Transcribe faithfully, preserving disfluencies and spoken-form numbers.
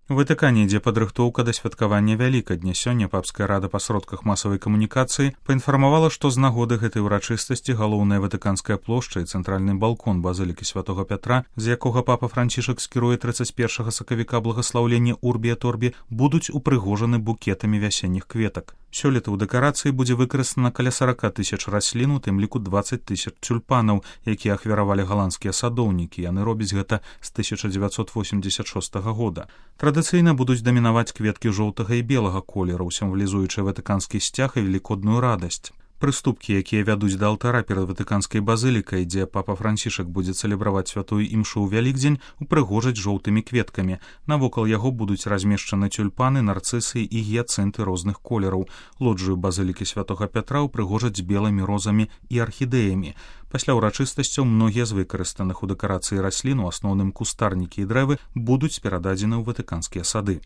У Ватыкане ідзе падрыхтоўка да святкавання Вялікадня. Сёння папская рада па сродках масавай камунікацыі паінфармавала, што з нагоды гэтай урачыстасці галоўная ватыканская плошча і цэнтральны балкон базылікі святога Пятра, з якога папа Францішак скіруе трыццаць першага сакавіка благаслаўлення Урбі et Орбі, будуць упрыгожаны букетамі вясенніх кветак. Сёлета ў дэкарацыі будзе выкарыстана каля сорок тысяч раслін, у тым ліку дваццаць тысяч тюльпанаў, якія ахвяравалі галандскія садоўнікі. Яны робяць гэта з тысяча дзевяцьсот восемьдесят шостага года. Традыцыйна будуць дамінаваць кветкі жоўтага і белага колераў, сімвалізуючы ватыканскі сцяг і велікодную радасць. Прыступкі, якія вядуць да алтара перад ватыканскай базылікай, дзе папа Францішак будзе цэлебраваць святую імшу ў Вялікдзень, упрыгожаць жоўтымі кветкамі. Навокал яго будуць размешчаны тюльпаны, нарцысы і гіяцынты розных колераў. Лоджыю базылікі святога Пятра упрыгожаць белымі розамі і архідэямі. Пасля ўрачыстасцяў многія з выкарыстаных у дэкарацыі раслін, у асноўным кустарнікі і дрэвы, будуць перададзены ў ватыканскія сады.